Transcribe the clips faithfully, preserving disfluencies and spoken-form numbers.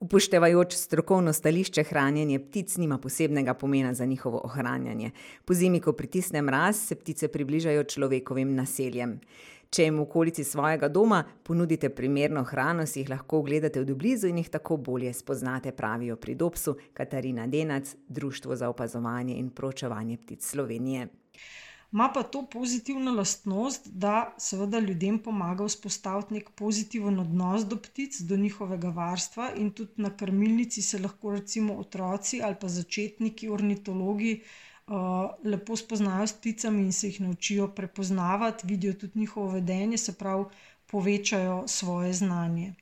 Upoštevajoč strokovno stališče, hranjenje ptic nima posebnega pomena za njihovo ohranjanje. Pozimi, ko pritisne mraz, se ptice približajo človekovim naseljem. Če jim v okolici svojega doma ponudite primerno hrano, si jih lahko ogledate od blizu in jih tako bolje spoznate, pravijo pri Dopsu Katarina Denac, Društvo za opazovanje in proučevanje ptic Slovenije. Ma pa to pozitivno lastnost, da seveda ljudem pomaga vzpostaviti nek pozitiven odnos do ptic, do njihovega varstva, in tudi na krmilnici se lahko recimo otroci ali pa začetniki ornitologi uh, lepo spoznajo s pticami in se jih naučijo prepoznavati, vidijo tudi njihovo vedenje, se pravi povečajo svoje znanje.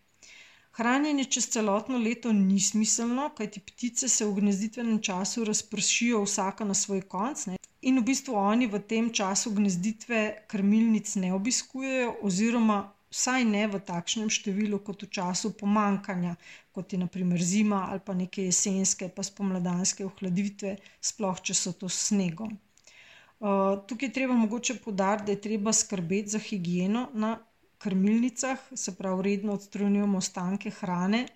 Hranjenje čez celotno leto ni smiselno, kajti ptice se v gnezditvenem času razpršijo vsaka na svoj konec, ne? In v bistvu oni v tem času gnezditve krmilnic ne obiskujejo oziroma vsaj ne v takšnem številu kot v času pomanjkanja, kot je na primer zima ali pa neke jesenske pa spomladanske ohladitve, sploh če so to s snegom. Uh, tukaj je treba mogoče poudariti, da je treba skrbeti za higieno na krmilnicah, se pravi redno odstranjujemo ostanke hrane.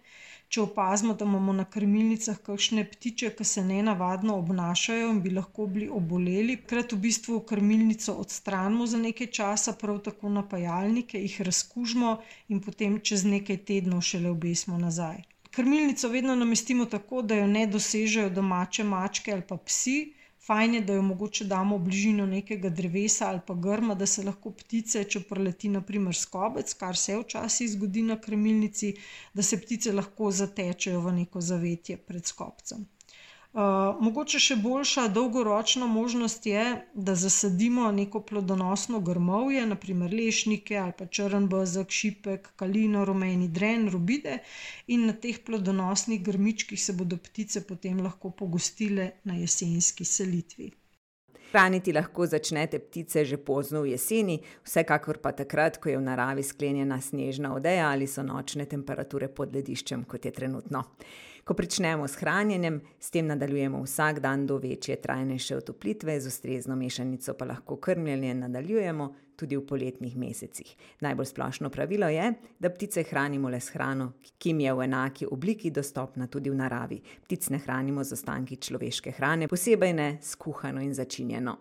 Če opazimo, da imamo na krmilnicah kakšne ptiče, ki se nenavadno obnašajo in bi lahko bili oboleli, takrat v bistvu krmilnico odstranimo za nekaj časa, prav tako napajalnike, jih razkužimo in potem čez nekaj tednov šele obesimo nazaj. Krmilnico vedno namestimo tako, da jo ne dosežejo domače mačke ali pa psi. Fajn je, da jo mogoče damo v bližino nekega drevesa ali pa grma, da se lahko ptice, če preleti na primer skobec, kar se včasih zgodi na krmilnici, da se ptice lahko zatečejo v neko zavetje pred skopcem. Uh, mogoče še boljša dolgoročna možnost je, da zasadimo neko plodonosno grmovje, na primer lešnike ali pa črn bezeg, šipek, kalino, rumeni dren, robide, in na teh plodonosnih grmičkih se bodo ptice potem lahko pogostile na jesenski selitvi. Hraniti lahko začnete ptice že pozno v jeseni, vsekakor pa takrat, ko je v naravi sklenjena snežna odeja ali so nočne temperature pod lediščem, kot je trenutno. Ko pričnemo s hranjenjem, s tem nadaljujemo vsak dan do večje, trajnejše otoplitve, z ustrezno mešanico pa lahko krmljenje nadaljujemo tudi v poletnih mesecih. Najbolj splošno pravilo je, da ptice hranimo le s hrano, ki jim je v enaki obliki dostopna tudi v naravi. Ptic ne hranimo z ostanki človeške hrane, posebej ne s kuhano in začinjeno.